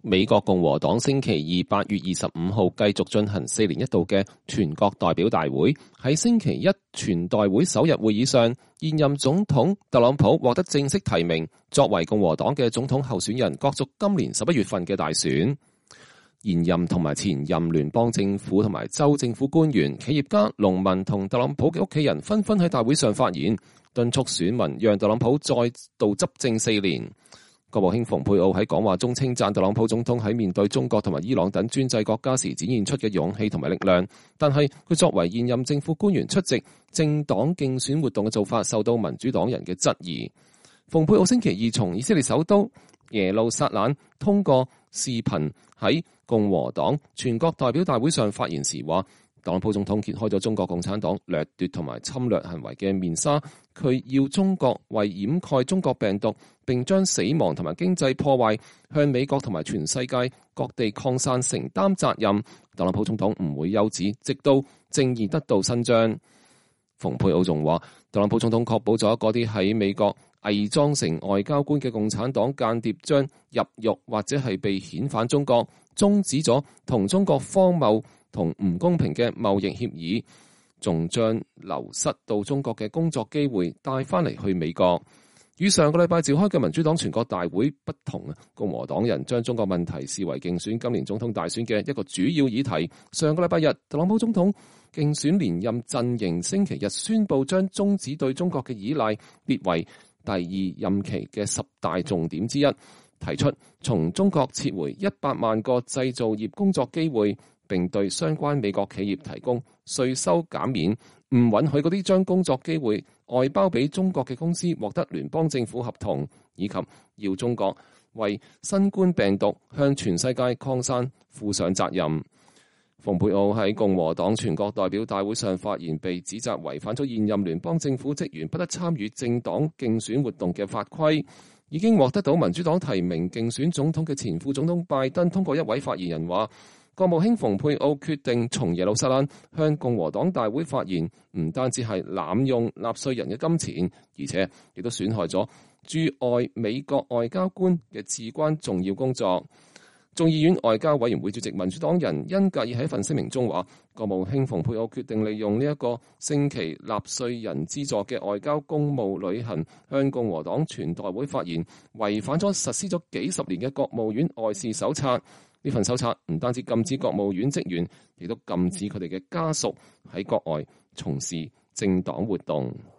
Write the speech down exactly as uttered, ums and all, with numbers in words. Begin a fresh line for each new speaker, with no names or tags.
美國共和黨星期二八月二十五號繼續進行四年一度嘅全國代表大會。喺星期一全代會首日會議上，現任總統特朗普獲得正式提名作為共和黨嘅總統候選人，角逐今年十一月份嘅大選。現任同埋前任聯邦政府同埋州政府官員、企業家、農民同特朗普嘅屋企人紛紛喺大會上發言，敦促選民讓特朗普再度執政四年。國務卿蓬佩奧喺講話中稱讚特朗普總統喺面對中國同埋伊朗等專制國家時展現出嘅勇氣同埋力量，但係佢作為現任政府官員出席政黨競選活動嘅做法受到民主黨人嘅質疑。蓬佩奧星期二從以色列首都耶路撒冷通過視頻喺共和黨全國代表大會上發言時話，特朗普總統揭開咗中國共產黨掠奪同埋侵略行為嘅面紗，佢要中國為掩蓋中國病毒並將死亡同埋經濟破壞向美國同埋全世界各地擴散承擔責任。特朗普總統唔會休止，直到正義得到伸張。蓬佩奧仲話，特朗普總統確保咗嗰啲喺美國偽裝成外交官嘅共產黨間諜將入獄或者係被遣返中國，終止咗同中國荒謬同唔公平嘅貿易協議，仲將流失到中國嘅工作機會帶翻嚟去美國。與上個禮拜召開嘅民主黨全國大會不同啊，共和黨人將中國問題視為競選今年總統大選嘅一個主要議題。上個禮拜日，特朗普總統競選連任陣營星期日宣布將終止對中國嘅依賴列為第二任期嘅十大重點之一，提出從中國撤回一百萬個製造業工作機會，並對相關美國企業提供稅收減免，唔允許嗰啲將工作機會外包俾中國嘅公司獲得聯邦政府合同，以及要中國為新冠病毒向全世界擴散負上責任。蓬佩奧喺共和黨全國代表大會上發言，被指責違反咗現任聯邦政府職員不得參與政黨競選活動嘅法規。已經獲得到民主黨提名競選總統嘅前副總統拜登通過一位發言人話，國務卿蓬佩奧決定從耶路撒冷向共和黨大會發言，唔單止係濫用納稅人嘅金錢，而且亦都損害咗駐外美國外交官嘅至關重要工作。眾議院外交委員會主席民主黨人恩格爾喺一份聲明中話，國務卿蓬佩奧決定利用呢一個星期納稅人資助嘅外交公務旅行向共和黨全代會發言，違反咗實施咗幾十年嘅國務院外事手冊。呢份手冊唔單止禁止國務院職員，亦都禁止佢哋嘅家屬喺國外從事政黨活動。